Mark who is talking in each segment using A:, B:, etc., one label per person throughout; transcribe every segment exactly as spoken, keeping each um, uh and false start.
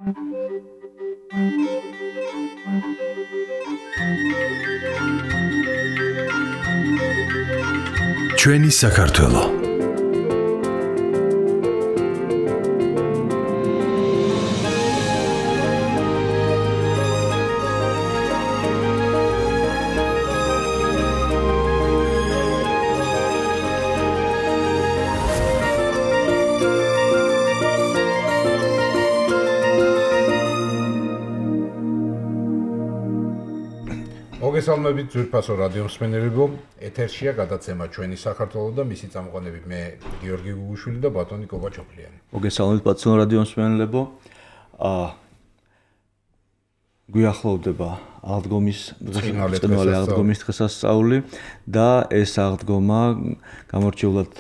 A: ჩვენი საქართველო.
B: მოგესალმებით ძვირფასო რადიო მსმენელებო, ეთერშია გადაცემა ჩვენი საქართველო და მისი წამყვანები მე გიორგი გუგუშვილი და ბატონი კობაჩოხლიანი.
C: მოგესალმებით ბატონო რადიო მსმენელებო. აა გვიახლოვდება აღდგომის დღესასწაული, აღდგომის დღესასწაული და ეს აღდგომა გამორჩეულად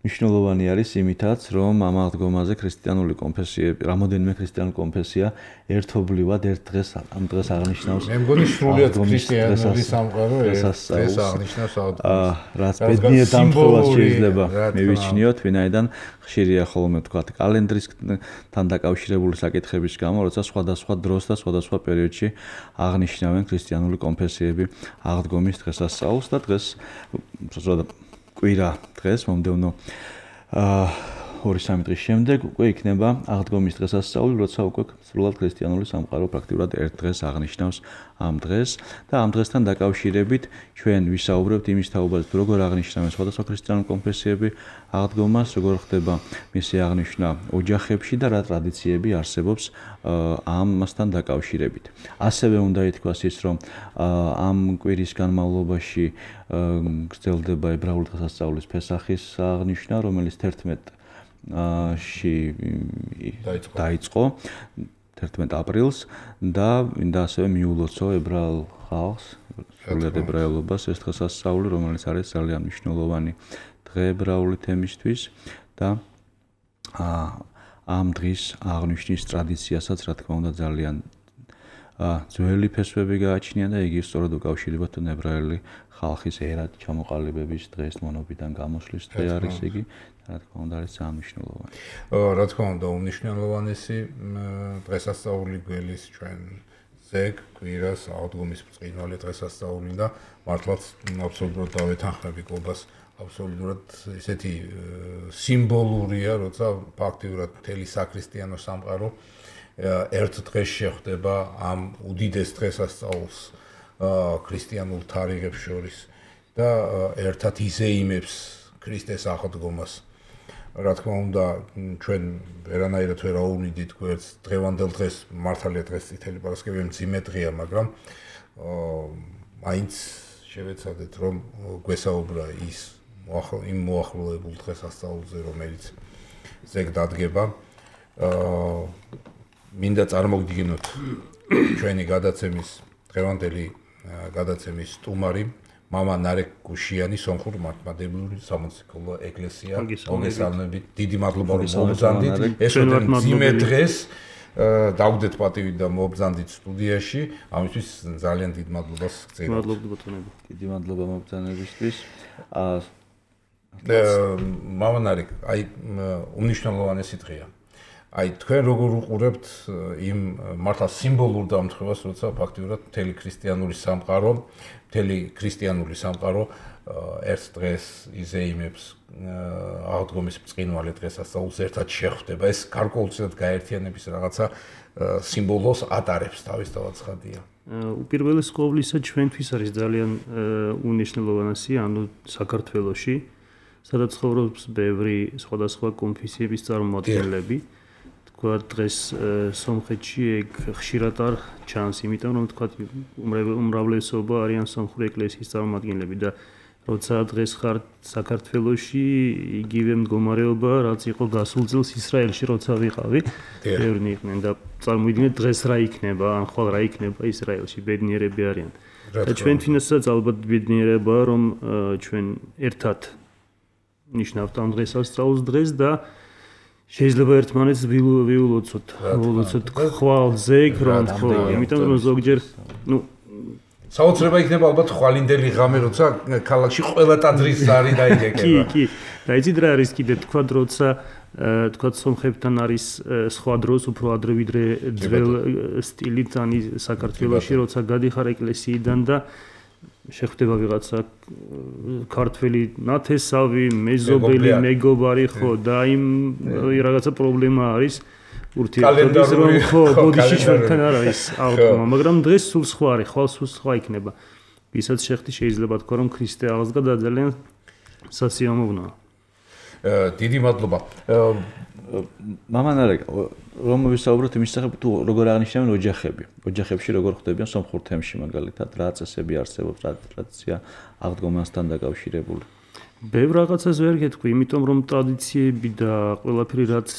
C: მნიშვნელოვანი არის იმითაც, რომ ამ აღდგომაზე ქრისტიანული კონფესიები, რამოდენიმე ქრისტიანული კონფესია ერთობლივად ერთ დღეს ამ დღეს აღნიშნავს.
B: მე მგონი სრულიად ქრისტიანული სამყარო ეს აღნიშნავს აღდგომას.
C: აა რაც ბედნიერ დამხმარებას შეიძლება მივიჩნიოთ, ვინაიდან ხშირია ხოლმე თქვა კალენდრისთან დაკავშირებული საკითხების გამო, როცა სხვადასხვა დროს და სხვადასხვა პერიოდში აღნიშნავენ ქრისტიანული კონფესიები აღდგომის დღესასწაულს და დღეს კვირა დღეს მომდევნო აა ორი სამი დღის შემდეგ უკვე იქნება აღდგომის დღესასწაული, როცა უკვე სრულად ქრისტიანული სამყარო პრაქტიკულად ერთ დღეს აღნიშნავს ამ დღეს და ამ დღესთან დაკავშირებით ჩვენ ვისაუბრებთ იმის თაობაზე, როგორ აღნიშნავენ სხვადასხვა ქრისტიანული კონფესიები აღდგომას, როგორ ხდება მისი აღნიშვნა ოჯახებში და რა ტრადიციები არსებობს ამასთან დაკავშირებით. ასევე უნდა ითქვას ის, რომ ამ კვირის განმავლობაში გრძელდება ებრაული დღესასწაულის ფესახის აღნიშვნა, რომელიც თერთმეტ ში დაიწყო თერთმეტ აპრილს და მინდა ასევე მიულოცო ებრაელ ხალხს, სრულად ებრაელობას ეს დღესასწაული, რომელიც არის ძალიან მნიშვნელოვანი დღე ებრაული თემისთვის და ამ დღის აღნიშვნის ტრადიციასაც რა თქმა უნდა ძალიან ძველი ფესვები გააჩნია და იგი სწორად უკავშირდება თუნ ებრაელი ხალხის ერად ჩამოყალიბების დღეს მონობიდან გამოსვლის დღე არის იგი. რა თქმა უნდა არის ძალიან მნიშვნელოვანი.
B: რა თქმა უნდა უმნიშვნელოვანესი დღესასწაული გველის ჩვენ ზეგ კვირას აღდგომის ბრწყინვალე დღესასწაული და მართლაც აბსოლუტურად დავეთანხმები კობას აბსოლუტურად ესეთი სიმბოლურია, როცა ფაქტიურად მთელი საქრისტიანო სამყარო ერთ დღეს შეხვდება ამ უდიდეს დღესასწაულს ქრისტიანულ თარიღებს შორის და ერთად იზეიმებს ქრისტეს აღდგომას. რა თქმა უნდა, ჩვენ ვერანაირად ვერ აუვნიდით გვერდს დღევანდელ დღეს, მართალია დღეს წითელი პარასკევია მძიმე დღეა, მაგრამ მაინც შევეცადეთ, რომ გვესაუბრა ის იმ მოახლოებულ დღესასწაულზე, რომელიც ზეგ დადგება. მინდა წარმოგიდგინოთ ჩვენი გადაცემის დღევანდელი გადაცემის სტუმარი მამა ნარეკ გუშიანი სომხურ მართლმადიდებლური სამოციქულო ეკლესია. მოგესალმებით, დიდი მადლობა რომ მობრძანდით. ეს მძიმე დღეს დავგდეთ პატივი და მობრძანდით სტუდიაში. ამისთვის ძალიან დიდ მადლობას გწევთ.
C: მადლობა ბატონები. დიდი მადლობა მობრძანებისთვის.
B: მამა ნარეკ, აი უმნიშვნელოვანესი დღეა. აი თქვენ როგორ უყურებთ იმ მართლა სიმბოლურ დამთხევას, როცა ფაქტიურად მთელი ქრისტიანული სამყარო, მთელი ქრისტიანული სამყარო ერთ დღეს იზეიმებს აღდგომის ბრწყინვალე დღესასწაულს ერთად შეხვდება. ეს გარკვეულწილად გაერთიანების რაღაცა სიმბოლოს ატარებს თავისთავად ცხადია.
D: უპირველეს ყოვლისა ჩვენთვის არის ძალიან უნიშნელოვანესი, ანუ საქართველოში, სადაც ცხოვრობს ბევრი სხვადასხვა კონფესიების წარმომადგენლები. თქვა დღეს სომხეთში ეგ ხშირად არ ჩანს, იმიტომ რომ თქვა უმრავლესობა არიან სომხური ეკლესიის წარმომადგენლები და როცა დღეს ხარ საქართველოში, იგივე მდგომარეობა, რაც იყო გასულ წელს ისრაელში, როცა ვიყავი, ბევრი იყვნენ და წარმოვიდგინეთ დღეს რა იქნება, ან ხვალ რა იქნება ისრაელში, ბედნიერები არიან. და ჩვენთვისაც ალბათ ბედნიერებაა, რომ ჩვენ ერთად ნიშნავთ ამ დღესასწაულს დღეს და შეიძლება ერთმანეთს ვიულოცოთ, ვიულოცოთ ხვალ ზეგ, რომ ხო, იმიტომ რომ ზოგჯერ, ну
B: საოცრება იქნება ალბათ ხვალინდელი ღამე, როცა ქალაქში ყველა ტაძრის ზარი დაიგეგება.
D: კი, კი. და იცით რა არის კიდე თქვა როცა თქვა სომხებთან არის სხვა დროს უფრო ადრე ვიდრე ძველ სტილით ანი საქართველოში როცა გადიხარ ეკლესიიდან და შეხვდება ვიღაცა ქართველი ნათესავი, მეზობელი, მეგობარი ხო და იმ რაღაცა პრობლემა არის ურთიერთობის რომ ხო ბოდიში ჩვენთან არ არის აღდგომა, მაგრამ დღეს სულ სხვა არის, ხვალ სულ სხვა იქნება. ვისაც შეხვდი შეიძლება თქვა რომ ქრისტე აღსდგა და ძალიან სასიამოვნოა.
B: დიდი მადლობა.
C: მამანარეკ რომ ვისაუბროთ იმის შესახებ თუ როგორ აღნიშნავენ ოჯახები. ოჯახებში როგორ ხდებიან სომხურ თემში მაგალითად რა წესები არსებობს, რა ტრადიცია აღდგომასთან დაკავშირებული.
D: ბევრ რაღაცას ვერ გეტყვი, იმიტომ რომ ტრადიციები და ყველაფერი რაც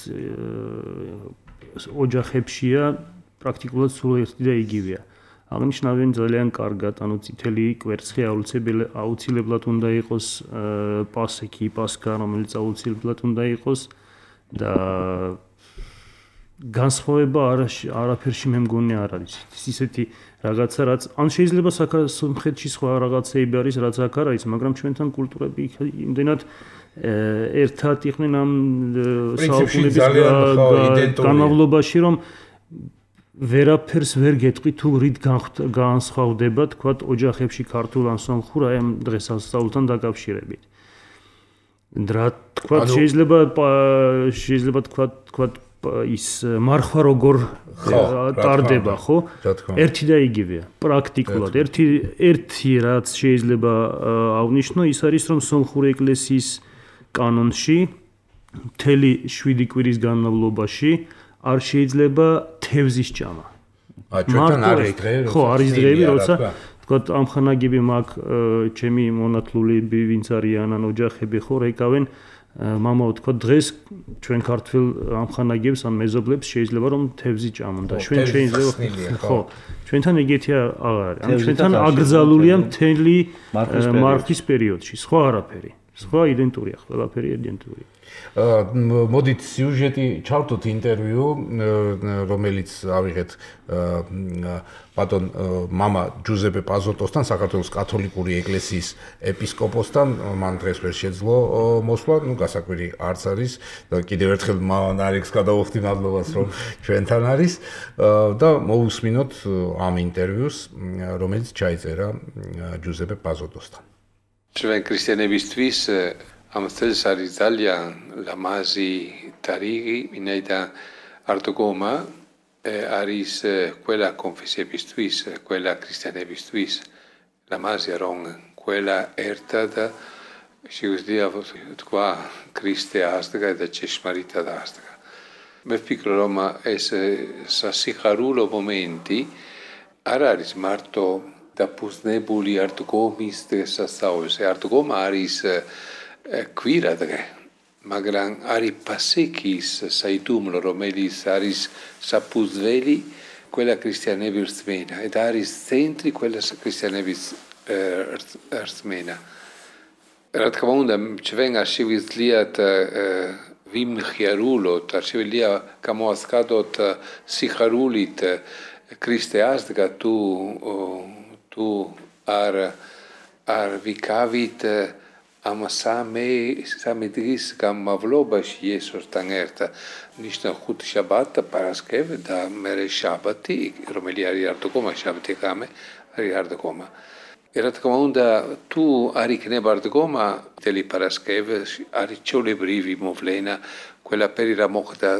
D: ოჯახებშია პრაქტიკულად სულ ერთი და იგივეა. აღნიშნავენ ძალიან კარგად, ანუ წითელი კვერცხი აუცილებლად უნდა იყოს პასექი, პასკა, რომელიც აუცილებლად უნდა იყოს და განსხვავება არაფერში მე მგონი არ არის. ისეთი რაღაცა რაც ან შეიძლება სომხეთში სხვა რაღაცეები არის, რაც აქ არ არის, მაგრამ ჩვენთან კულტურები იმდენად ერთად იყვნენ ამ საუკუნეების განმავლობაში, რომ ვერაფერს ვერ გეტყვი თუ რით განსხვავდება თქვა ოჯახებში ქართულ ან სომხურ აი ამ დღესასწაულთან დაკავშირებით. რა თქვა შეიძლება შეიძლება თქვა თქვა ის მარხვა როგორ ტარდება ხო? ერთი და იგივეა პრაქტიკულად. ერთი ერთი რაც შეიძლება აღნიშნო ის არის რომ სომხური ეკლესიის კანონში მთელი შვიდი კვირის განმავლობაში არ შეიძლება თევზის ჭამა.
B: აა ჩვენთან არის დღეები,
D: ხო, არის დღეები, როცა თქვა ამხანაგები მაგ ჩემი მონათლულები ვინც არიან ან ოჯახები ხო რეკავენ მამაო თქვა დღეს ჩვენ ქართულ ამხანაგებს ან მეზობლებს შეიძლება რომ თევზი ჭამონ და ჩვენ შეიძლება ხო ჩვენთან ეგეთი აღარ არის. ან ჩვენთან აკრძალულია მთელი მარხის პერიოდში, სხვა არაფერი. სხვა იდენტურია, ყველაფერი იდენტურია.
B: მოდით სიუჟეტი ჩავთოთ ინტერვიუ, რომელიც ავიღეთ ბატონ მამა ჯუზეპე პაზოტოსთან, საქართველოს კათოლიკური ეკლესიის ეპისკოპოსთან. მან დღეს ვერ შეძლო მოსვლა, ნუ გასაკვირი არც არის და კიდევ ერთხელ მამანარეკს გადავხდი მადლობას რომ ჩვენთან არის და მოусმინოთ ამ ინტერვიუს, რომელიც ჩაიწერა ჯუზეპე პაზოტოსთან.
E: ჩვენ ქრისტიანებისთვის ამ წელს არის ძალიან ლამაზი თარიღი, ვინაიდან აღდგომა არის ყველა კონფესიებისთვის, ყველა ქრისტიანებისთვის ლამაზია რომ ყველა ერთად შეგვიძლია თქვა ქრისტე აღსდგა და ჭეშმარიტად აღსდგა. მე ვფიქრობ რომ ეს სასიხარულო მომენტი არ არის მარტო დაფუძნებული აღდგომის დღესასწაულზე. აღდგომა არის კვირა დღე, მაგრამ არის პასექის საიდუმლო, რომელიც არის საფუძველი ყველა ქრისტიანების რწმენა და არის ცენტრი ყველა ქრისტიანების რწმენა. რა თქმა უნდა, ჩვენ არ შევიძლიათ ვიმხიარულოთ, არ შევიძლია გამოასკადოთ სიხარულით ქრისტე აღსდგა თუ თუ არ არ ვიკავით ამ სამე სამე დღის განმავლობაში იესოსთან ერთად ნიშნა ხუთი შაბათი პარასკევი და მერე შაბათი რომელიც არის აღდგომა შაბათი ღამე არის აღდგომა. რა თქმა უნდა თუ არ იქნება აღდგომა მთელი პარასკევი არის ჩვეულებრივი მოვლენა ყველაფერი რა მოხდა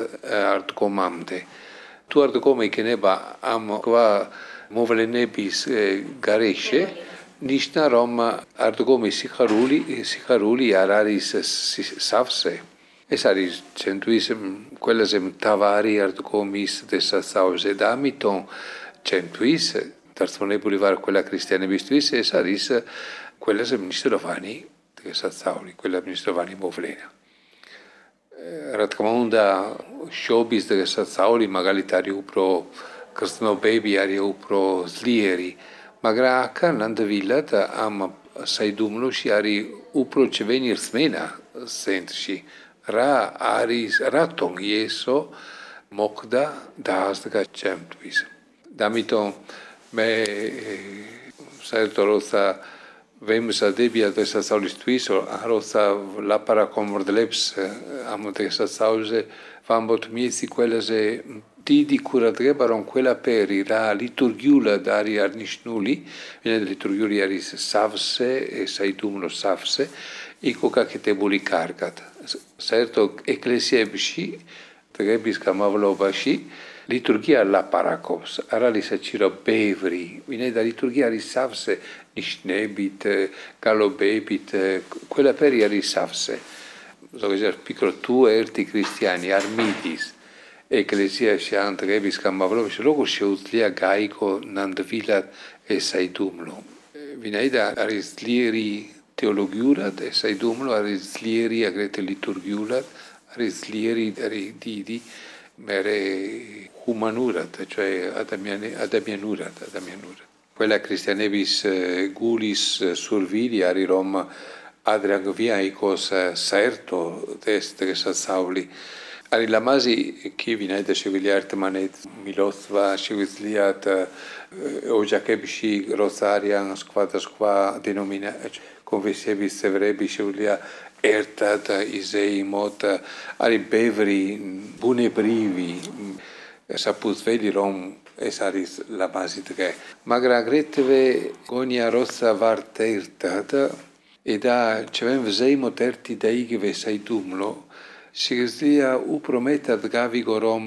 E: აღდგომამდე. თუ აღდგომა იქნება ამ ყვა მოვლენების გარეშე ნიშნა რომ აღდგომის სიხარული სიხარული არ არის სავსე. ეს არის ჩვენთვის ყველაზე მთავარი აღდგომის დღესასწაულზე და ამიტომ ჩვენთვის დარწმუნებული ვარ ყველა ქრისტიანებისთვის ეს არის ყველაზე მნიშვნელოვანი დღესასწაული, ყველა მნიშვნელოვანი მოვლენა. რა თქმა უნდა შობის დღესასწაული მაგალითად არის უფრო გრძნობები არის უფრო ძლიერი, მაგრამ აქ ნამდვილად ამ საიდუმლოში არის უფრო ჩვენი რწმენა ცენტრში. რა არის რატომ იესო მოხდა და აღსდგა ჩემთვის. და ამიტომ მე საერთოდ როცა ვემზადებია დღესასწაულისთვის, როცა ლაპარაკობ მრდლებს ამ დღესასწაულზე, ვამბობთ მისი ყველაზე დიდი ყურადღება, რომ ყველაფერი რა ლიტურგიულად არის აღნიშნული, ვინაიდან ლიტურგიული არის სავსე, საიდუმლო სავსე, იქ გაკეთებული კარგად. საერთოდ ეკლესიებში დღების განმავლობაში ლიტურგია ლაპარაკობს, არ არის საჭირო ბევრი, ვინაიდან ლიტურგია არის სავსე ნიშნებით, გალობებით, ყველაფერი არის სავსე. ზოგადად ფიქრობ, თუ ერთი ქრისტიანი არ მიდის ეკლესიაში ან დღების განმავლობაში, როგორ შეუძლია გაიგო ნამდვილად ეს საიდუმლო. ვინაიდან არის ძლიერი თეოლოგიურად, ეს საიდუმლო არის ძლიერი აგრეთვე ლიტურგიულად, არის ძლიერი, არის დიდი მერე ჰუმანურად, ადამიანი, ადამიანურად, ადამიანურად. ყველა ქრისტიანების გულის სურვილი არის, რომ ადრე გვიაიქოს საერთოდ ეს დღესასწაული. არის ლამაზი კი ვინაიდან შეგვიძლია ერთმანეთ მილოცვა, შეგვიძლიათ ოჯახებში როცა არიან სხვადასხვა დენომინაციის კონფესიების წევრები შეუძლია ერთად იზეიმოთ, არის ბევრი ბუნებრივი საფუძველი, რომ ეს არის ლამაზი დღე. მაგრამ აგრეთვე გონია როცა ვართ ერთად და ჩვენ ვზეიმოთ ერთი და იგივე საიდუმლო, შეგვიძლია უფრო მეტად გავიგო, რომ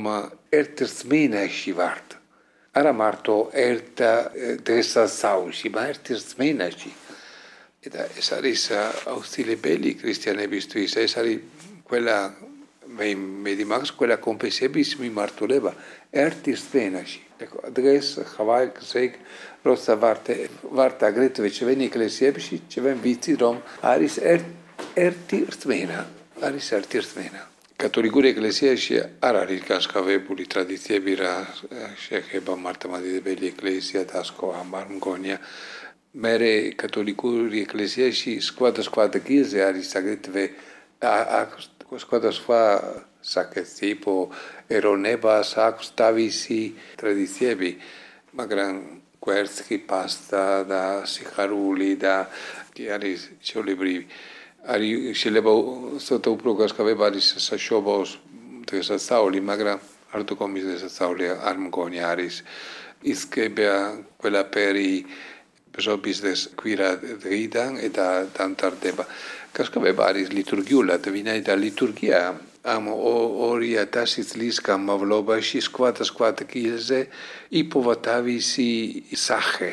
E: ერთ რწმენაში ვართ. არა მარტო ერთ დღესასწაულში, მაგრამ ერთ რწმენაში. და ეს არის აუცილებელი ქრისტიანებისთვის, ეს არის ყველა მე მედიმაგს ყველა კონფესიების მიმართულება ერთ რწმენაში. დღეს ხვალგზეგ როცა ვართ ვართ აგრეთვე ჩვენი ეკლესიებში, ჩვენ ვიცით, რომ არის ერთი რწმენა, არის ერთი რწმენა. კათოლიკური ეკლესიაში არ არის განსხვავებული ტრადიციები, რა შეეხება მართლმადიდებელი ეკლესია და სხვა არ მგონია. მერე კათოლიკური ეკლესიაში სხვადასხვა ადგილზე არის აგრეთვე სხვადასხვა საკეთილო ეროვნებას აქვს თავისი ტრადიციები, მაგრამ გვერდსი პასტა და სიხარული და არის ჩვეულებრივი. არის შეიძლება ცოტა უფრო განსხვავება არის საშობაოს დღესასწაული, მაგრამ არ დაკომის დღესასწაული არ მგონია არის ისკება ყველაფერი ბჟობის დღეს კვირა დღიდან და დამტარდება. განსხვავება არის ლიტურგიულად, ვინაიდან ლიტურგია ამ ორი ათასი წლის განმავლობაში სხვადასხვა ადგილზე იპოვა თავისი სახე.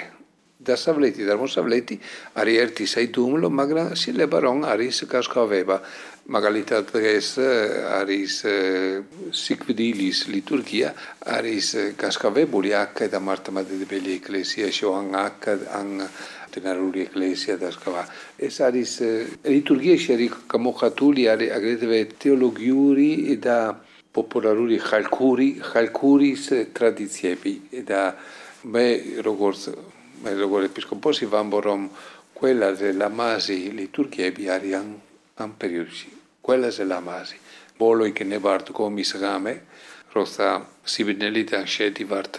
E: დასავლეთი და აღმოსავლეთი არის ერთი საიდუმლო, მაგრამ შეიძლება რომ არის განსხვავება. მაგალითად დღეს არის სიკვდილის ლიტურგია, არის განსხვავებული აქ და მართლმადიდებელი ეკლესიაში, ან აქ ან დენარული ეკლესია და სხვა. ეს არის ლიტურგიაში არის გამოხატული არის აგრეთვე თეოლოგიური და პოპულარული ხალხური ხალხურის ტრადიციები და მე როგორც მე როგორც ეპისკოპოსი ვამბობ, რომ ყველაზე ლამაზი ლიტურგიები არიან ამ პერიოდში. ყველაზე ლამაზი. ბოლო იქნება არტკომის ღამე, როცა სიბნელიდან შედივართ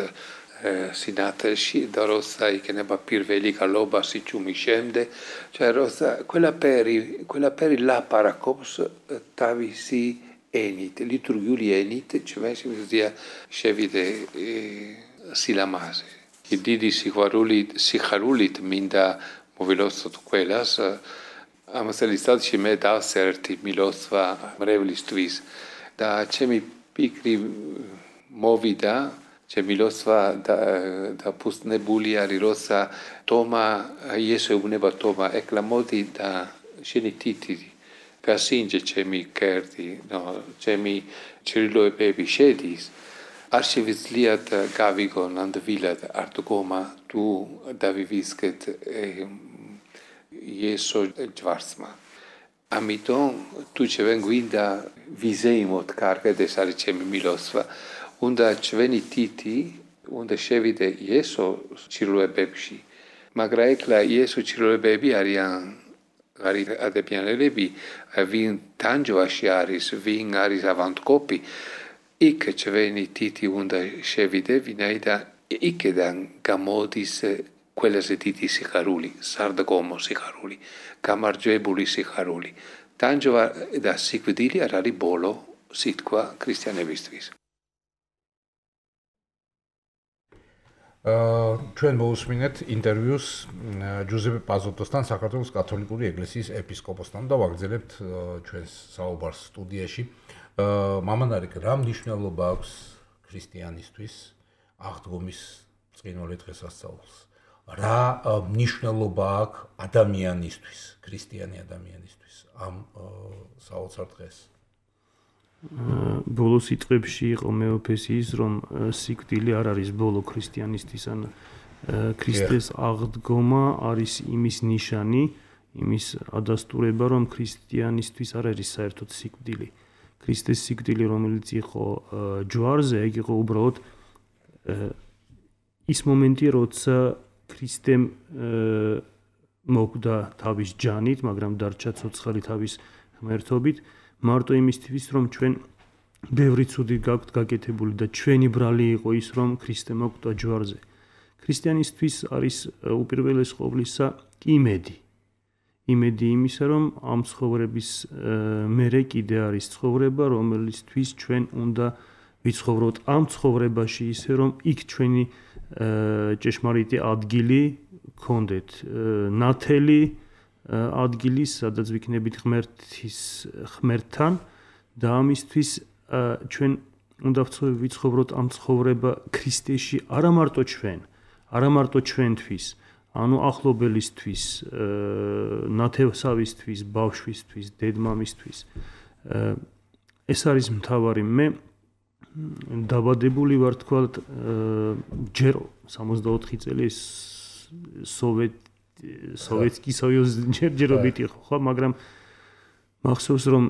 E: სინათლში და როცა იქნება პირველი გალობა სიჩუმის შემდეგ, როცა ყველაფერი ყველაფერი ლაპარაკობს თავისი ენით, ლიტურგიული ენით, ჩვენ შეგვიძლია შევიდე სილამაზე. დიდი სიხარულით, სიხარულით მინდა მოვილოცოთ ყველას. ამ წელიწადში მე დავსერტი მილოცვა მრევლისთვის და ჩემი ფიქრი მოვიდა, ჩემი მილოცვა დაფუძნებული არის, როცა თომა იესო ეუბნება თომა, ეკლა მოდი და შენი თითი გასინჯე ჩემი კერდი, ჩემი ჩრდილოებები შედის. არ შევიძლიათ გავიგო ნამდვილად არტგომა თუ დავივისკეთ იესო ჯვარცმა. ამიტომ თუ ჩვენ გვინდა ვიზეიმოთ კარგად, ეს არის ჩემი მილოცვა, უნდა ჩვენი თითი უნდა შევიდე იესო ჩრდილოებებში. მაგრამ ეკლა იესო ჩრდილოებები არიან არის ადამიანები, ვინ თანჯვაში არის, ვინ არის ავანტკოპი. იქ ჩვენი თითი უნდა შევიდე, ვინაიდან იქიდან გამოდის ყველაზე დიდი სიხარული, სარდგომო სიხარული, გამარჯვებული სიხარული. Tanjova და სიკვდილი არ არის ბოლო სიტყვა ქრისტიანებისთვის.
B: აა ჩვენ მოусმინეთ ინტერვიუს ჯუზეპე პაზოტოსთან, საქართველოს კათოლიკური ეკლესიის ეპისკოპოსთან და ვაგრძელებთ ჩვენს საუბარს სტუდიაში. აა მამანარიკ, რა მნიშვნელობა აქვს ქრისტიანისთვის აღდგომის წინვალი დღესასწაულს? რა მნიშვნელობა აქვს ადამიანისთვის, ქრისტიანი ადამიანისთვის ამ საოცარ დღეს?
D: ბოლო სიტყვებში იყო მეოფესიის, რომ სიკვდილი არ არის ბოლო ქრისტიანისთვის, ან ქრისტეს აღდგომა არის იმის ნიშანი, იმის ადასტურება, რომ ქრისტიანისთვის არ არის საერთოდ სიკვდილი. ქრისტეს სიკვდილი, რომელიც იყო ჯვარზე, ეგ იყო უბრალოდ ის მომენტი, როცა ქრისტემ მოკვდა თავის ჯანით, მაგრამ დარჩა ცოცხალი თავის ღმერთობით, მარტო იმისთვის, რომ ჩვენ ბევრი ცუდი გაქვთ გაკეთებული და ჩვენი ბრალი იყო ის, რომ ქრისტე მოკვდა ჯვარზე. ქრისტიანისთვის არის უპირველეს ყოვლისა იმედი. იმედი იმისა, რომ ამ ცხოვრების მერე კიდე არის ცხოვრება, რომელისთვის ჩვენ უნდა ვიცხოვროთ ამ ცხოვრებაში ისე, რომ იქ ჩვენი ჭეშმარიტი ადგილი გქონდეთ, ნათელი ადგილი, სადაც ვიქნებით ღმერთის ღმერთთან და ამისთვის ჩვენ უნდა ვიცხოვროთ ამ ცხოვრება ქრისტეში, არა მარტო ჩვენ, არა მარტო ჩვენთვის, ანუ ახლობელისთვის, ნათესავისთვის, ბავშვისთვის, დედმამისთვის. ეს არის მთავარი. მე დაბადებული ვარ, თქვათ, ჯერ სამოცდაოთხი წელი სოვიეტ სოვიეტსკი სოიუზ ჯერჯერობით იყო, ხო, მაგრამ მახსოვს, რომ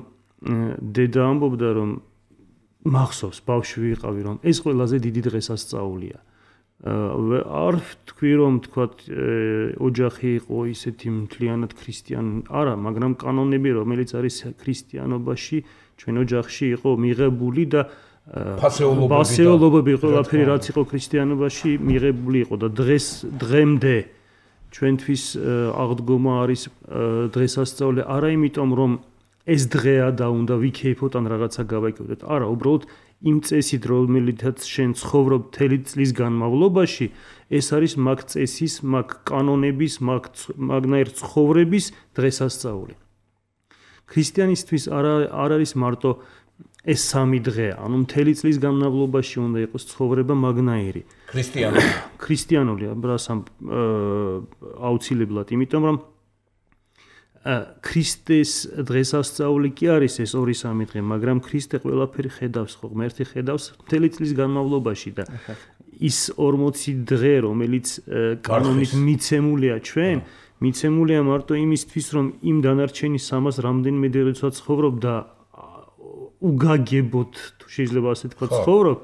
D: დედა ამბობდა, რომ მახსოვს, ბავშვი ვიყავი, რომ ეს ყველაზე დიდი დღესასწაულია. არ თქვი, რომ თქვათ ოჯახი იყო ისეთი მთლიანად ქრისტიანი, არა, მაგრამ კანონები, რომელიც არის ქრისტიანობაში, ჩვენ ოჯახში იყო მიღებული და ფასეულობები, ყველაფერი რაც იყო ქრისტიანობაში მიღებული იყო და დღეს დღემდე ჩვენთვის აღდგომა არის დღესასწაული, არა იმიტომ, რომ ეს დღეა და უნდა ვიქეიფოთ ან რაღაცა გავაკეთოთ. არა, უბრალოდ იმ წესით, რომელიცაც შენ ცხოვრობ მთელი წლის განმავლობაში, ეს არის მაგ წესის, მაგ კანონების, მაგნაირ ცხოვრების დღესასწაული. ქრისტიანისთვის არ არის მარტო ეს სამი დღე, ანუ მთელი წლის განმავლობაში უნდა იყოს ცხოვრება მაგნაირი.
B: ქრისტიანული.
D: ქრისტიანული, ბრასამ აუცილებლად, იმიტომ რომ ქრისტეს დღესასწაული კი არის ეს ორი სამი დღე, მაგრამ ქრისტე ყველაფერი ხედავს, ხო, ღმერთი ხედავს მთელი წლის განმავლობაში და ის ორმოცი დღე, რომელიც კანონით მიცემულია ჩვენ, მიცემულია მარტო იმისთვის, რომ იმ დანარჩენი სამას რამდენიმე დღესაც ცხოვრობ და უგაგებოთ, თუ შეიძლება ასე თქვა, ცხოვრობ,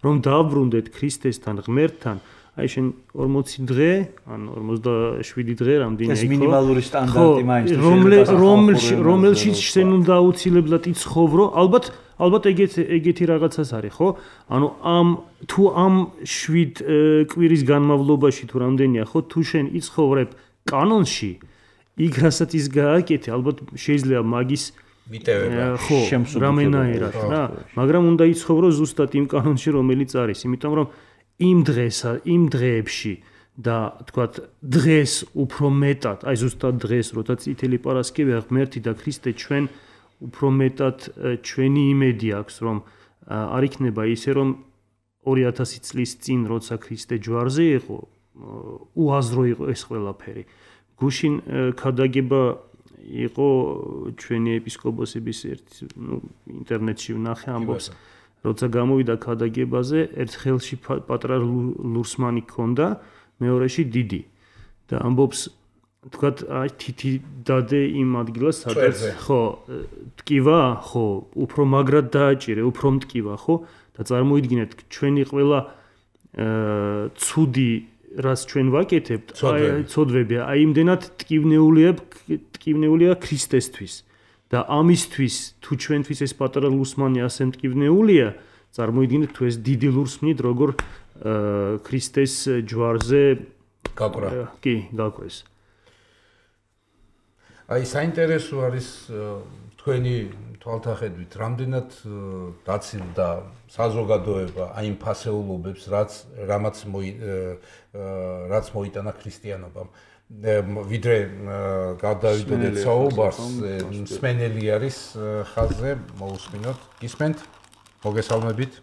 D: რომ დააბრუნდეთ ქრისტესთან, ღმერთთან. აი შენ ორმოცი დღე, ან ორმოცდაშვიდი დღე რამდენი იყო? ეს
C: მინიმალური სტანდარტი მაინც
D: რომელშიც შენ უნდა აუცილებლად იცხოვრო, ალბათ ალბათ ეგეთი ეგეთი რაღაცას არის, ხო? ანუ ამ თუ ამ შვიდ კვირის განმავლობაში თუ რამდენია, ხო, თუ შენ იცხოვრებ კანონში, იქ რასაც ის გააკეთე, ალბათ შეიძლება მაგის
B: მიტევება,
D: ხო, რამენაერად რა, მაგრამ უნდა იცხოვრო ზუსტად იმ კანონში, რომელიც არის, იმიტომ რომ იმ დღესა, იმ დღეებში და თქვათ დღეს უფრო მეტად, აი ზუსტად დღეს, როცა წითელი პარასკევია, ღმერთი და ქრისტე ჩვენ უფრო მეტად ჩვენი იმედი აქვს, რომ არ იქნება ისე, რომ ორი ათასი წლის წინ, როცა ქრისტე ჯვარზე იყო, უაზრო იყო ეს ყველაფერი. გუშინ ქადაგება იყო ჩვენი ეპისკოპოსების ერთ, ნუ ინტერნეტში ვნახე ამბობს, როცა გამოვიდა ქადაგებაზე, ერთ ხელში პატრა ლურსმანი ჰქონდა, მეორეში დიდი. და ამბობს, თქვათ, აი თითი დადე იმ ადგილას, სადაც ხო, ტკივა, ხო, უფრო მაგრად დააჭირე, უფრო მტკივა, ხო? და წარმოიდგინეთ, ჩვენი ყველა ცუდი, რაც ჩვენ ვაკეთებთ, აი ცოდვები, აი იმდენად ტკივნეულია, ტკივნეულია ქრისტესთვის. და ამისთვის, თუ ჩვენთვის ეს პატარა ლურსმანი ასე მტკივნეულია, წარმოიდგინეთ, თუ ეს დიდი ლურსმნით, როგორ ქრისტეს ჯვარზე
B: გაკვრა.
D: კი, გაკვეს.
B: აი საინტერესო არის თქვენი თვალთახედვით, რამდენად დაცილდა საზოგადოება აი იმ ფასეულობებს, რაც რამაც რაც მოიტანა ქრისტიანობამ. ვიდრე გადავიდოდეთ საუბარს, მსმენელი არის ხაზზე, მოусმინოთ, გისმენთ? მოგესალმებით.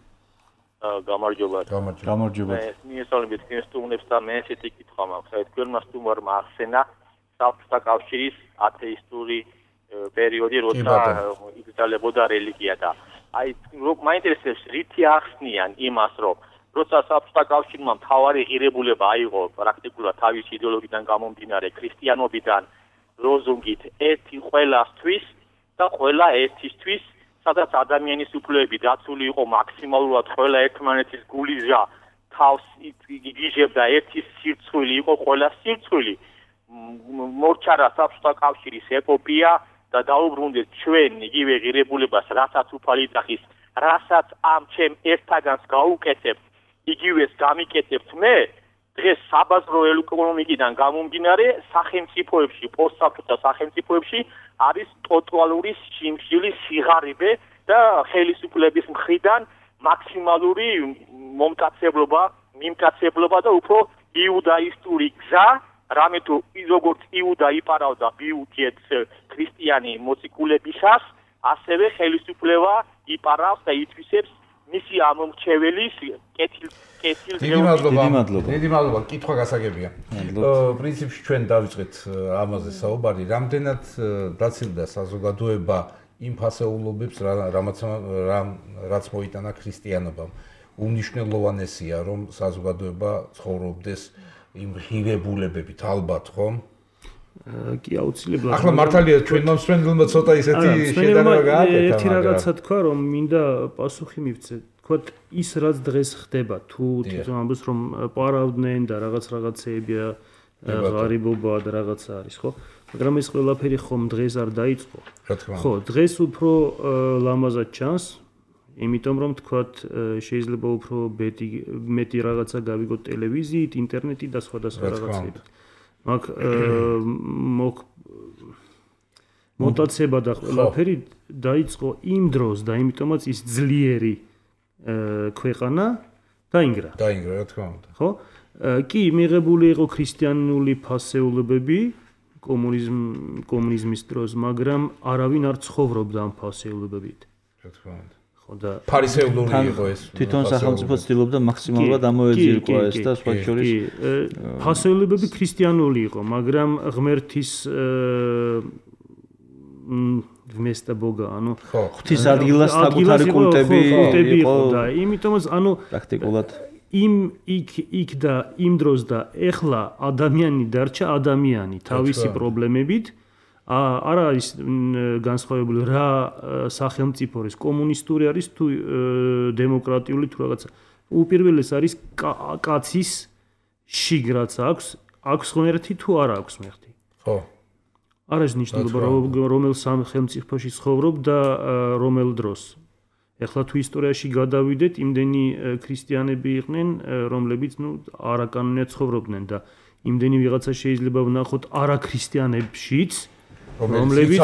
F: გამარჯობა.
C: გამარჯობა.
F: მიესალმებით თქვენ სტუმრებს და მე ესეთი კითხვა მაქვს. აი თქვენმა სტუმარმა ახსენა საბჭოთა კავშირის ათეისტური პერიოდი, როცა იკრძალებოდა რელიგია და აი მაინტერესებს რითი ახსნიან იმას, რომ როცა საბჭოთა კავშირმა მთავარი ღირებულება აიღო პრაქტიკულად თავის იდეოლოგიიდან გამომდინარე ქრისტიანობიდან ლოზუნგით ერთი ყველასთვის და ყველა ერთისთვის, სადაც ადამიანის უფლებები დაცული იყო მაქსიმალურად ყველა ერთმანეთის გულიზა თავს იგიჟებდა ერთის სირცხვილი იყო ყველა სირცხვილი მორჩარა საბჭოთა კავშირის ეპოპეა და დაუბრუნდეთ ჩვენ იგივე ღირებულებას, რასაც უფალი დახის, რასაც ამ ჩემ ერთაგანს გაუკეთებ, იგივეს გამიკეთებთ მე, დღეს საბაზრო ეკონომიკიდან გამომდინარე სახელმწიფოებში, პოსტსაბჭოთა სახელმწიფოებში არის ტოტალური სიმშილის სიღარიბე და ხელისუფლების მხრიდან მაქსიმალური მომკაცებლობა, მიმკაცებლობა და უფრო იუდაისტური გზა, რამე თუ როგორც იუდა იპარავდა ბიუდიეთს ქრისტიანი მოციქულებისას, ასევე ხელისუფლება იპარავს და ითვისებს მისი ამომრჩეველის კეთილ კეთილ
B: დიდი მადლობა. დიდი მადლობა. კითხვა გასაგებია. პრინციპში ჩვენ დავიწყეთ ამაზე საუბარი, რამდენად დაცილდა საზოგადოება იმ ფასეულობებს, რამაც რაც მოიტანა ქრისტიანობამ. უმნიშვნელოვანესია, რომ საზოგადოება ცხოვრობდეს იმ ღირებულებებით, ალბათ, ხო?
D: კი, აუცილებლად.
B: ახლა მართალია ჩვენ მომსმენელმა ცოტა ისეთი შედარება გააკეთა.
D: ერთი რაღაცა თქვა, რომ მინდა პასუხი მივცე. თქვა, ის რაც დღეს ხდება, თუ თვითონ ამბობს, რომ პარავდნენ და რაღაც რაღაცეებია, ღარიბობა და რაღაცა არის, ხო? მაგრამ ეს ყველაფერი ხომ დღეს არ დაიწყო. ხო, დღეს უფრო ლამაზად ჩანს. იმიტომ რომ თქვათ შეიძლება უფრო მეტი მეტი რაღაცა გავიგოთ ტელევიზიით, ინტერნეტით და სხვა და სხვა რაღაცებით. მაგ მოტაცება და ყველაფერი დაიწყო იმ დროს და იმიტომაც ის ძლიერი ქვეყანა დაინგრა.
B: დაინგრა, რა თქმა უნდა.
D: ხო? კი, მიღებული იყო ქრისტიანული ფასეულობები კომუნიზმ კომუნიზმის დროს, მაგრამ არავინ არ ცხოვრობდა ამ ფასეულობებით.
B: რა თქმა უნდა.
D: და
B: ფარისეულური იყო ეს.
C: თვითონ სახელმწიფო ცდილობდა მაქსიმალურად ამოეძირკვა ეს და სხვა შორის
D: ფასეულობები ქრისტიანული იყო, მაგრამ ღმერთის ვმესტა ბოგა, ანუ
C: ღვთის ადგილას საკუთარი კულტები იყო
D: და იმიტომაც ანუ
C: პრაქტიკულად
D: იმ იქ იქ და იმ დროს და ეხლა ადამიანი დარჩა ადამიანი თავისი პრობლემებით. არ არის განსხვავებული რა სახელმწიფო არის, კომუნისტური არის თუ დემოკრატიული თუ რაღაცა. უპირველეს არის კაცის შიგრაც აქვს, აქვს ღმერთი თუ არ აქვს ღმერთი.
B: ხო.
D: არ არის ნიშნულობა რომელ სახელმწიფოში ცხოვრობ და რომელ დროს. ეხლა თუ ისტორიაში გადავიდეთ, იმდენი ქრისტიანები იყვნენ, რომლებიც ნუ არაკანონიათ ცხოვრობდნენ და იმდენი ვიღაცა შეიძლება ვნახოთ არაქრისტიანებშიც რომლებიც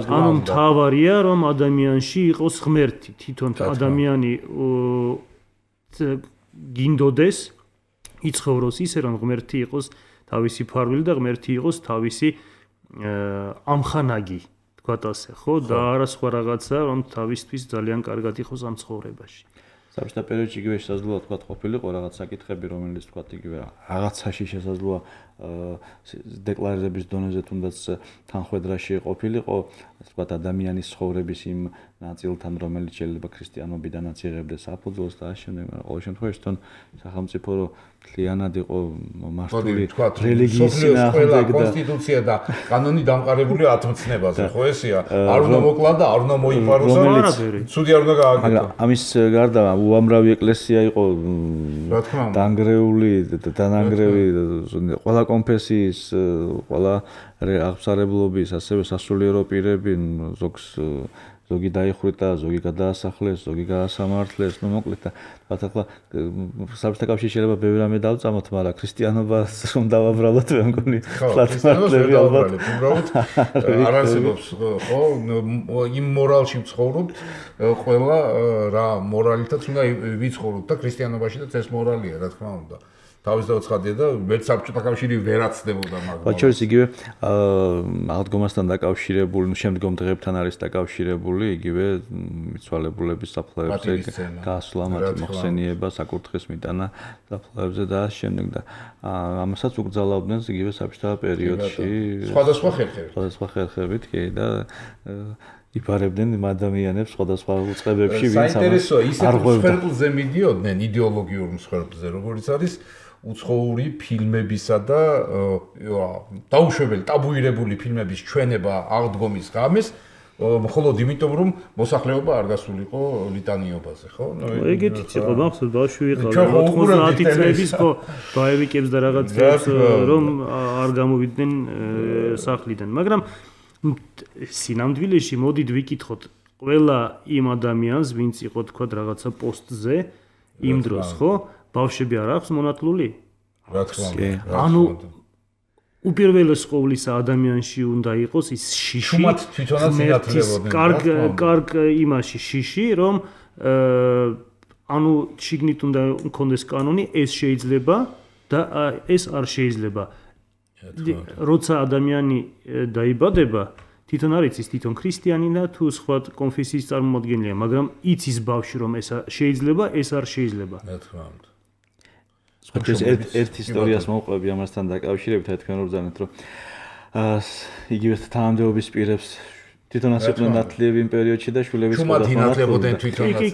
D: ანუ მთავარია რომ ადამიანში იყოს ღმერთი, თვითონ ადამიანი გინდოდეს იცხოვროს ისე რომ ღმერთი იყოს თავისი ფარვილი და ღმერთი იყოს თავისი ამხანაგი, თქვათ ასე, ხო? და არა სხვა რაღაცა რომ თავისთვის ძალიან კარგად იყოს ამ ცხოვრებაში.
C: საბჭოთა პერიოდში იგივე შესაძლოა თქვა ყოფილიყო რაღაც საკითხები, რომელიც თქვა იგივე რაღაცაში შესაძლოა დეკლარირების დონეზე თუნდაც თანხმედრაში ყოფილიყო, თქვა ადამიანის ცხოვრების იმ ნაწილთან, რომელიც შეიძლება ქრისტიანობიდანაც იღებდეს საფუძველს და ამავდროულად, მაგრამ ყოველ შემთხვევაში თვითონ სახელმწიფო რო მთლიანად იყო მართული რელიგიის
B: წინააღმდეგ და კონსტიტუცია და კანონი დამყარებული ათმოცნებაზე, ხო ესეა? არ უნდა მოკლა და არ უნდა მოიპაროს, ცუდი არ უნდა გააკეთო.
C: მაგრამ ამის გარდა უამრავი ეკლესია იყო დანგრეული და დანანგრევი ყველა კონფესიის, ყველა აღსარებლობის, ასევე სასულიერო პირები, ზოგს ზოგი დაიხვრიტა, ზოგი გადაასახლეს, ზოგი გაასამართლეს, ну მოკლედ თქვა ახლა საბჭოთა კავშირი შეიძლება ბევრი რამე დავწამოთ, მაგრამ ქრისტიანობას რომ დავაბრალოთ, მე მგონი ხლათმართლები ალბათ
B: უბრალოდ არ არსებობს, ხო, იმ მორალში ვცხოვრობთ, ყველა რა მორალითაც უნდა ვიცხოვროთ და ქრისტიანობაშიც ეს მორალია, რა თქმა უნდა. თავის დაუცხადია და ვერც საბჭოთა კავშირი ვერაცდებოდა მაგრამ.
C: მათ შორის იგივე აღდგომასთან დაკავშირებული, ნუ შემდგომ დღეებთან არის დაკავშირებული იგივე მიცვალებულების საფლავებზე გასვლა, მათი მოხსენიება, საკურთხის მიტანა საფლავებზე და შემდეგ და ამასაც უგრძალავდნენ იგივე საბჭოთა პერიოდში.
B: სხვადასხვა ხერხებით.
C: სხვადასხვა ხერხებით, კი და იფარებდნენ იმ ადამიანებს სხვადასხვა უწყებებში, ვინც ამას
B: საინტერესოა, ისეთ მსხვერპლზე მიდიოდნენ იდეოლოგიურ მსხვერპლზე, როგორც არის უცხოური ფილმებისა და დაუშვებელი, ტაბუირებული ფილმების ჩვენება აღდგომის ღამეს, მხოლოდ იმიტომ, რომ მოსახლეობა არ გასულიყო ლიტანიობაზე, ხო?
D: ეგეთიც იყო, მახსოვს, ბავშვი ვიყავი, ოთხმოცდაათი წლების ხო, ბაევიკებს და რაღაცებს რომ არ გამოვიდნენ სახლიდან, მაგრამ სინამდვილეში მოდით ვიკითხოთ ყველა იმ ადამიანს, ვინც იყო თქვა რაღაცა პოსტზე იმ დროს, ხო? ბავშვები არ აქვს მონათლული?
B: რა თქმა უნდა.
D: ანუ უპირველეს ყოვლისა ადამიანში უნდა იყოს ის შიში.
B: თუმად თვითონაც ინათლებოდნენ.
D: კარგ კარგ იმაში შიში, რომ ანუ შიგნით უნდა მქონდეს კანონი, ეს შეიძლება და ეს არ შეიძლება. როცა ადამიანი დაიბადება, თვითონ არ იცის თვითონ ქრისტიანი და თუ სხვა კონფესიის წარმომადგენელია, მაგრამ იცის ბავშვი რომ ეს შეიძლება, ეს არ შეიძლება.
B: რა თქმა უნდა.
C: ეს ერთ ისტორიას მოვყვები ამასთან დაკავშირებით, თქვენ რომ ბრძანეთ, რომ იგივე თანამდებობის პირებს თვითონაც იყვნენ ნათლიები იმ პერიოდში და შვილების
B: თუმად ინათლებოდნენ თვითონაც.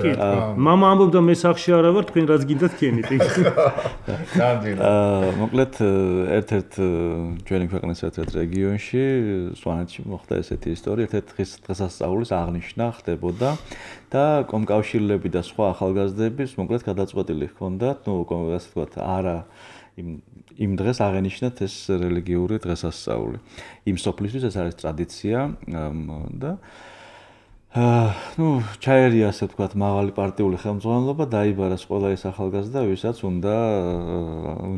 D: მამა ამბობდა მე სახში არა ვარ, თქვენ რაც გინდათ ქენით.
C: მოკლედ ერთ-ერთ ჩვენი ქვეყნის ერთ-ერთ რეგიონში, სვანეთში მოხდა ესეთი ისტორია, ერთ-ერთ დღის დღესასწაულის აღნიშვნა ხდებოდა და კომკავშირლები და სხვა ახალგაზრდების მოკლედ გადაწყვეტილი ჰქონდათ, ну, ასე ვთქვათ, არა იმ იმ დღეს აღენიშნათ ეს რელიგიური დღესასწაული. იმ სოფლისთვის ეს არის ტრადიცია და აა ну, ჩაერია ასე ვთქვათ, მაღალი პარტიული ხელმძღვანელობა, დაიბარეს ყველა ეს ახალგაზრდა, ვისაც უნდა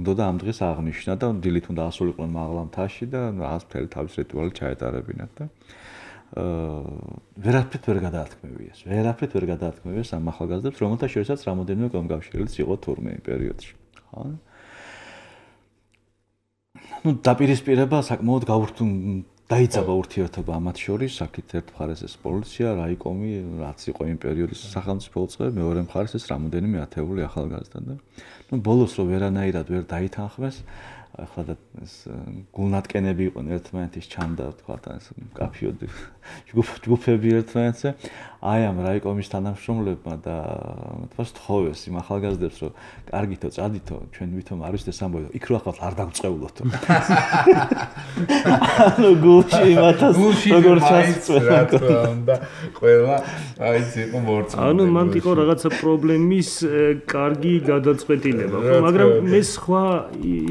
C: უნდა ამ დღეს აღნიშნა და დილით უნდა ასულიყვნენ მაღლა მთაში და ას მთელი თავის რიტუალი ჩაეტარებინათ და აა ვერაფრით ვერ გადაათქმევიეს. ვერაფრით ვერ გადაათქმევიეს ამ ახალგაზრდებს, რომელთა შორისაც რამოდენიმე კომკავშირილიც იყო თურმე იმ პერიოდში. ხო? ну დაპირისპირება საკმაოდ გაურთუნ დაიწყება ურთიერთობა ამათ შორის, აქეთ ერთ მხარეს ეს პოლიცია, რაიკომი, რაც იყო იმ პერიოდის სახელმწიფო უწყება, მეორე მხარეს ეს რამოდენიმე ათეული ახალგაზრდა და ну ბოლოს რო ვერანაირად ვერ დაითანხმეს, ახლა და ეს გულნატკენები იყვნენ ერთმანეთის ჩანდა, თქვა ეს კაფიოდი ჯგუფები ერთმანეთზე, აი ამ რაიკომის თანამშრომლებმა და თქვა სთხოვეს იმ ახალგაზრდებს, რომ კარგითო, წადითო, ჩვენ ვითომ არ ვიცით ეს ამბავი, იქ რო ახლა არ დაგწეულოთო. ანუ გულში იმათას როგორც ასწვევა
B: და ყველა აი ციყო მორწმუნე.
D: ანუ მან იყო რაღაცა პრობლემის კარგი გადაწყვეტილება, ხო, მაგრამ მე სხვა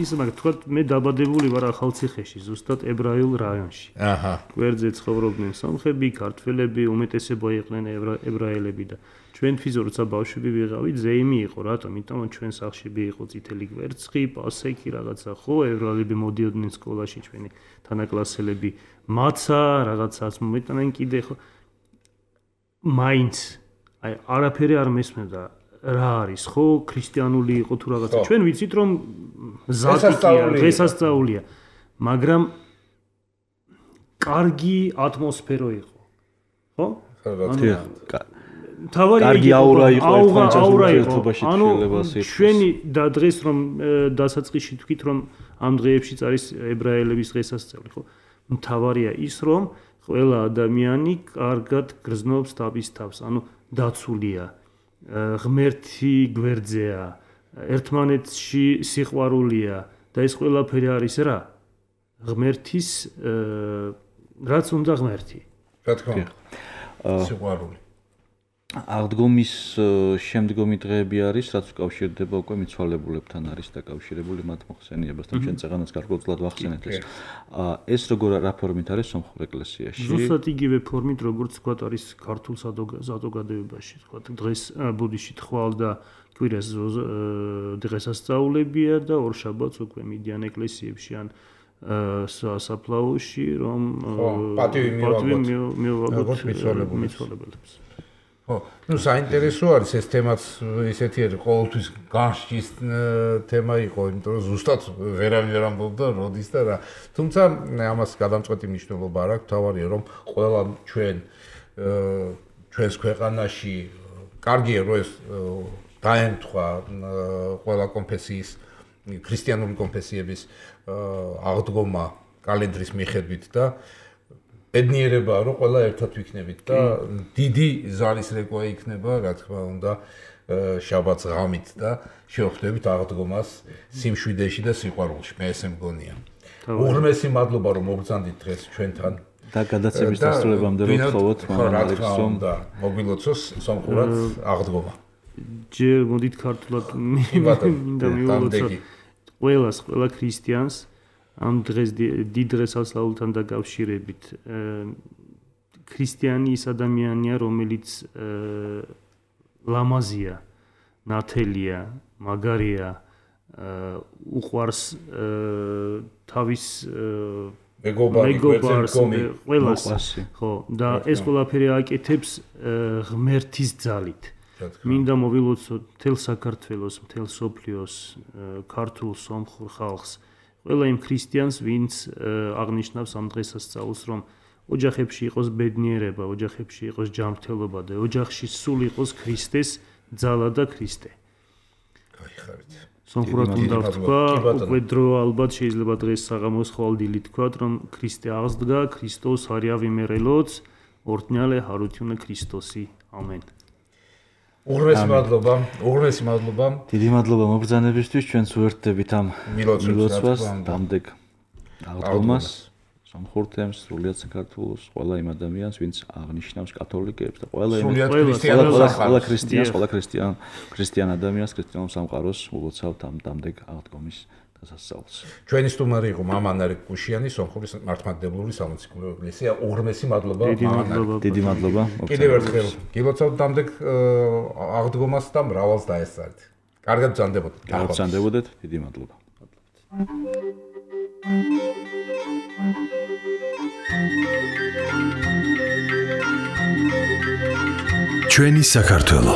D: ის მაგ თქვა მე დაბადებული ვარ ახალციხეში, ზუსტად ებრაულ რაიონში.
B: აჰა.
D: გვერდზე ცხოვრობდნენ სომხები, ქართველები, უმეტესობა იყვნენ ებრაელები და ჩვენთვის როცა ბავშვები ვიყავით, ზეიმი იყო, რატომ? იმიტომ რომ ჩვენ სახლში იყო წითელი კვერცხი, პასექი რაღაცა, ხო, ებრაელები მოდიოდნენ სკოლაში, ჩვენი თანაკლასელები, მაცა, რაღაცას მომეტანენ კიდე, ხო. მაინც აი არაფერი არ მესმოდა. რა არის, ხო, ქრისტიანული იყო თუ რაღაცა. ჩვენ ვიცით რომ ზატიკია, დღესასწაულია, მაგრამ კარგი ატმოსფერო იყო. ხო? თავარი
C: კარგი აურა იყო
D: ერთმანეთში. ანუ ჩვენი და დღეს რომ დასაწყისში თქვით რომ ამ დღეებშიც არის ებრაელების დღესასწაული, ხო? თავარია ის რომ ყველა ადამიანი კარგად გრძნობს თავის თავს, ანუ დაცულია. ღმერთი გვერდზეა, ერთმანეთში სიყვარულია და ეს ყველაფერი არის რა? ღმერთის რაც უნდა ღმერთი.
B: რა თქმა უნდა. სიყვარული.
C: აღდგომის შემდგომი დღეები არის, რაც უკავშირდება უკვე მიცვალებულებთან არის დაკავშირებული მათ მოხსენიებასთან, ჩვენ წეღანაც გარკვეულწილად ვახსენეთ ეს. ეს როგორ რა ფორმით არის სომხურ ეკლესიაში?
D: ზუსტად იგივე ფორმით, როგორც თქვა არის ქართულ საზოგადოებაში, თქვა დღეს ბუდიში თვალ და კვირას დღესასწაულებია და ორშაბათს უკვე მიდიან ეკლესიებში ან საფლაოში, რომ
B: პატივი მივაგოთ
D: მიცვალებელებს.
B: ხო, ну საინტერესო არის ეს თემაც ისეთი არის, ყოველთვის განსჯის თემა იყო, იმიტომ რომ ზუსტად ვერავინ ვერ ამბობდა როდის და რა. თუმცა ამას გადამწყვეტი მნიშვნელობა არ აქვს, თავარია რომ ყველა ჩვენ ჩვენს ქვეყანაში კარგია რომ ეს დაემთხვა ყველა კონფესიის, ქრისტიანული კონფესიების აღდგომა კალენდრის მიხედვით და ბედნიერებაა რომ ყველა ერთად ვიქნებით და დიდი ზალისრეკვა იქნება, რა თქმა უნდა, შაბათს ღამით და შევხვდებით აღდგომას სიმშვიდეში და სიყვარულში. მე ესე მგონია. უღრმესი მადლობა რომ მოგბრძანდით დღეს ჩვენთან
C: და გადაცემის დასრულებამდე რომ თხოვოთ მამალებს რომ
B: მოგილოცოს სამხურად აღდგომა.
D: ჯერ მოდით ქართულად მინდა მივულოცოთ ყველას, ყველა ქრისტიანს ამ დღეს დიდ დღესასწაულთან დაკავშირებით. ქრისტიანი ის ადამიანია, რომელიც ლამაზია, ნათელია, მაგარია, უყვარს თავის მეგობარს, ყველას, ხო, და ეს ყველაფერი აკეთებს ღმერთის ძალით. მინდა მოვილოცოთ მთელ საქართველოს, მთელ სოფლიოს, ქართულ სომხურ ხალხს, ყველა იმ ქრისტიანს, ვინც აღნიშნავს ამ დღესასწაულს, რომ ოჯახებში იყოს ბედნიერება, ოჯახებში იყოს ჯანმრთელობა და ოჯახში სულ იყოს ქრისტეს ძალა და ქრისტე.
B: გაიხარეთ.
D: სომხურად უნდა ვთქვა, უკვე დრო ალბათ შეიძლება დღეს საღამოს ხვალდილი თქვათ, რომ ქრისტე აღსდგა, ქრისტოს არავიმერელოც, ორთნიალე ჰარუთიუნე ქრისტოსი. ამენ.
B: უღრმესი მადლობა, უღრმესი მადლობა.
C: დიდი მადლობა მობრძანებისთვის, ჩვენც უერთდებით ამ მილოცვას, დამდეგ აღდგომას, სომხურ თემს, სრულიად საქართველოს ყველა იმ ადამიანს, ვინც აღნიშნავს კათოლიკეებს და ყველა ყველა ქრისტიანს, ყველა ქრისტიან ქრისტიან ადამიანს, ქრისტიანულ სამყაროს ულოცავთ ამ დამდეგ აღდგომის დასასწაულს.
B: ჩვენი სტუმარი იყო მამანარი კუშიანი, სომხური მართლმადიდებლური სამოციქულო ეკლესია. უღრმესი მადლობა მამანარი.
C: დიდი მადლობა.
B: კიდევ ერთხელ გილოცავთ დამდეგ აღდგომას და მრავალს დაესწარით. კარგად ბრძანდებოდეთ.
C: კარგად ბრძანდებოდეთ. დიდი მადლობა.
A: ჩვენი საქართველო